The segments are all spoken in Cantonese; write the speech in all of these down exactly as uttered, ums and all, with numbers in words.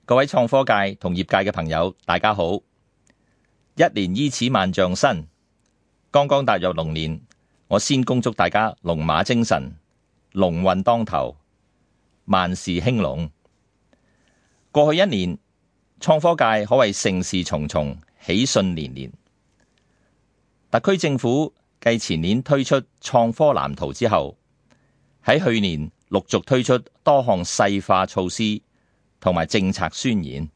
各位創科界同業界嘅朋友，大家好！一年伊始萬象新，剛剛踏入龍年，我先恭祝大家龍馬精神，龍運當頭，萬事興隆。過去一年，創科界可謂盛事重重，喜訊連連。特區政府繼前年推出創科藍圖之後，喺去年陸續推出多項細化措施同埋政策宣言，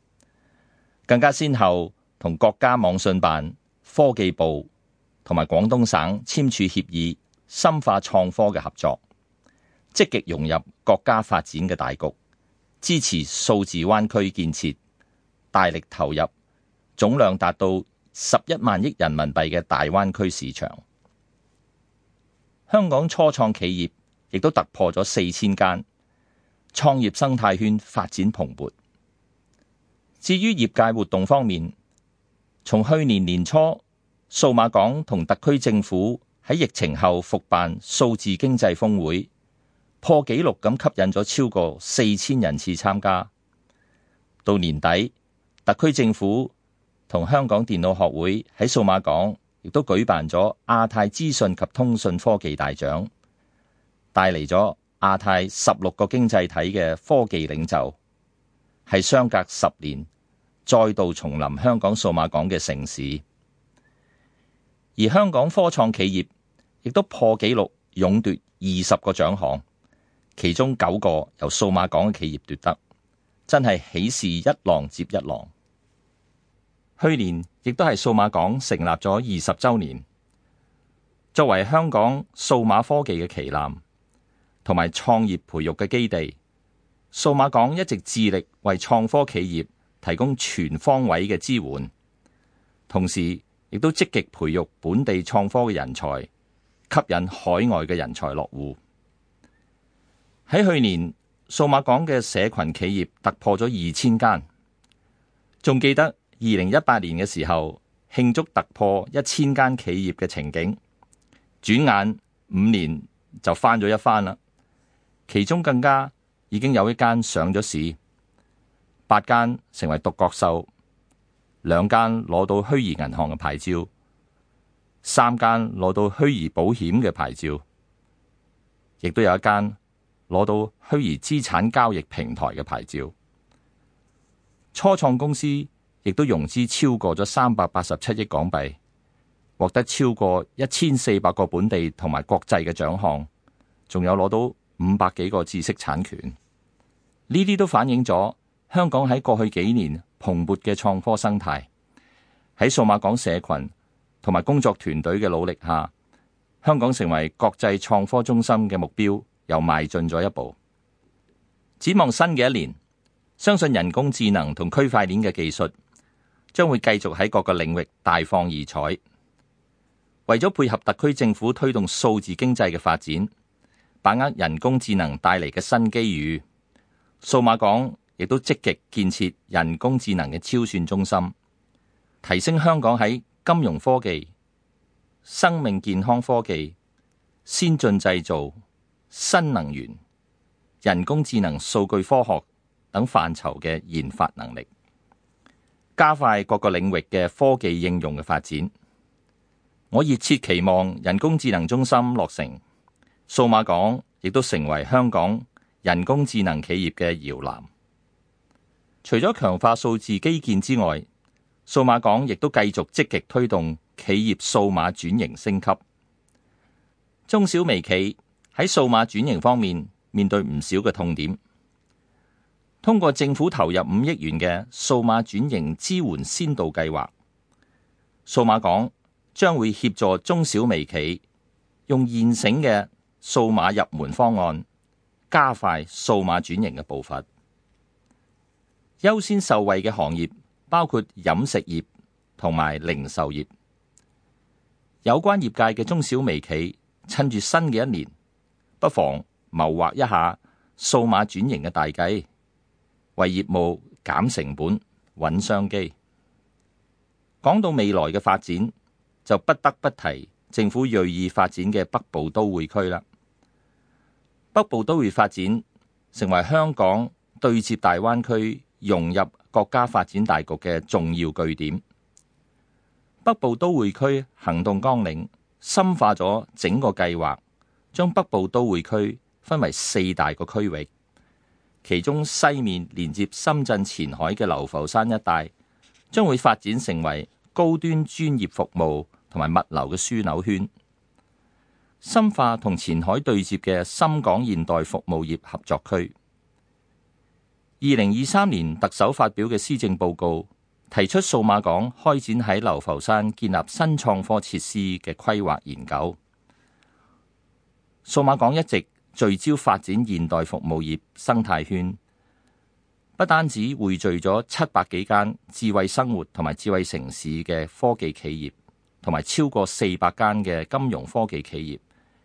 更加先後同國家網信辦、科技部同埋廣東省簽署協議，深化創科嘅合作，積極融入國家發展嘅大局，支持數字灣區建設，大力投入總量達到十一萬億人民幣嘅大灣區市場。香港初創企業亦都突破咗四千間，創業生態圈發展蓬勃。至於業界活動方面，從去年年初，數碼港同特區政府喺疫情後復辦數字經濟峰會，破紀錄咁吸引咗超過四千人次參加。到年底，特區政府同香港電腦學會喺數碼港亦都舉辦咗亞太資訊及通訊科技大獎，帶嚟咗亞太十六個經濟體嘅科技領袖，係相隔十年再度重臨香港數碼港嘅盛事。而香港科創企業亦都破紀錄勇奪二十個獎項，其中九個由數碼港嘅企業奪得，真係喜事一浪接一浪。去年亦都係數碼港成立咗二十週年，作為香港數碼科技嘅旗艦同埋創業培育嘅基地，數碼港一直致力為創科企業提供全方位嘅支援，同時亦都積極培育本地創科嘅人才，吸引海外嘅人才落戶。喺去年，數碼港嘅社群企業突破咗二千間，仲記得二零一八年嘅時候慶祝突破一千間企業嘅情景，轉眼五年就翻咗一番啦。其中更加已經有一間上咗市，八間成為獨角獸，兩間攞到虛擬銀行嘅牌照，三間攞到虛擬保險嘅牌照，亦都有一間攞到虛擬資產交易平台嘅牌照。初創公司亦都融資超過咗三百八十七億港幣，獲得超過一千四百個本地同埋國際嘅獎項，仲有攞到五百幾個知識產權。呢啲都反映咗香港喺過去幾年蓬勃嘅創科生態。喺數碼港社群同埋工作團隊嘅努力下，香港成為國際創科中心嘅目標又邁進咗一步。展望新嘅一年，相信人工智能同區塊鏈嘅技術將會繼續喺各個領域大放異彩。為咗配合特區政府推動數字經濟嘅發展，把握人工智能帶嚟嘅新機遇，數碼港亦都積極建設人工智能嘅超算中心，提升香港喺金融科技、生命健康科技、先進製造、新能源、人工智能、數據科學等範疇嘅研發能力，加快各個領域嘅科技應用嘅發展。我熱切期望人工智能中心落成，數碼港亦都成為香港人工智能企業嘅搖籃。除咗強化數字基建之外，數碼港亦都繼續積極推動企業數碼轉型升級。中小微企喺數碼轉型方面面對唔少嘅痛點。通過政府投入五億元嘅數碼轉型支援先導計劃，數碼港將會協助中小微企用現成嘅數碼入門方案，加快數碼轉型嘅步伐。優先受惠嘅行業包括飲食業同埋零售業。有關業界嘅中小微企趁住新嘅一年，不妨謀劃一下數碼轉型嘅大計，為業務減成本、穩商機。講到未來嘅發展，就不得不提政府銳意發展嘅北部都會區啦。北部都會發展成為香港對接大灣區融入國家發展大局嘅重要據點。北部都會區行動綱領深化咗整個計劃，將北部都會區分為四大個區域，其中西面連接深圳前海嘅流浮山一帶，將會發展成為高端專業服務同埋物流嘅樞紐圈。深化同前海對接嘅深港現代服務業合作區。二零二三年特首發表嘅施政報告提出，數碼港開展喺流浮山建立新創科設施嘅規劃研究。數碼港一直聚焦發展現代服務業生態圈，不單止匯聚咗七百幾間智慧生活同埋智慧城市嘅科技企業，同埋超過四百間嘅金融科技企業，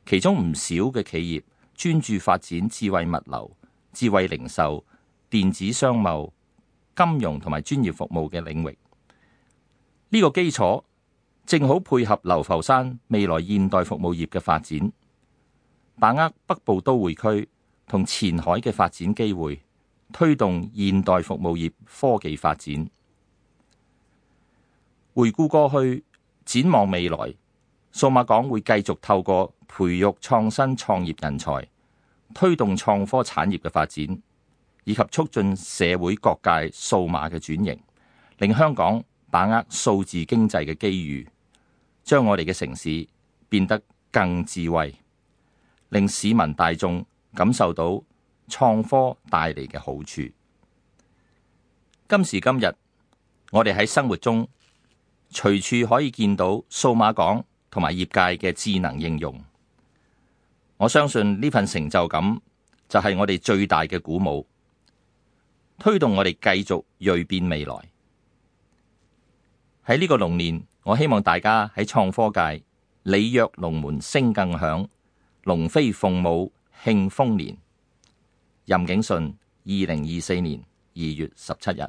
其中唔少嘅企業專注發展智慧物流、智慧零售、電子商貿、金融同埋專業服務嘅領域。呢個基礎正好配合流浮山未來現代服務業嘅發展，把握北部都會區同前海嘅發展機會，推動現代服務業科技發展。回顧過去，展望未來，數碼港會繼續透過培育創新創業人才，推動創科產業嘅發展，以及促進社會各界數碼嘅轉型，令香港把握數字經濟嘅機遇，將我哋嘅城市變得更智慧，令市民大眾感受到創科帶嚟嘅好處。今時今日，我哋喺生活中隨處可以見到數碼港同埋業界嘅智能應用。我相信呢份成就感就係我哋最大嘅鼓舞，推動我哋繼續銳變未來。喺呢個龍年，我希望大家喺創科界鯉躍龍門聲更響，龍飛鳳舞慶豐年。任景信，二零二四年二月十七日。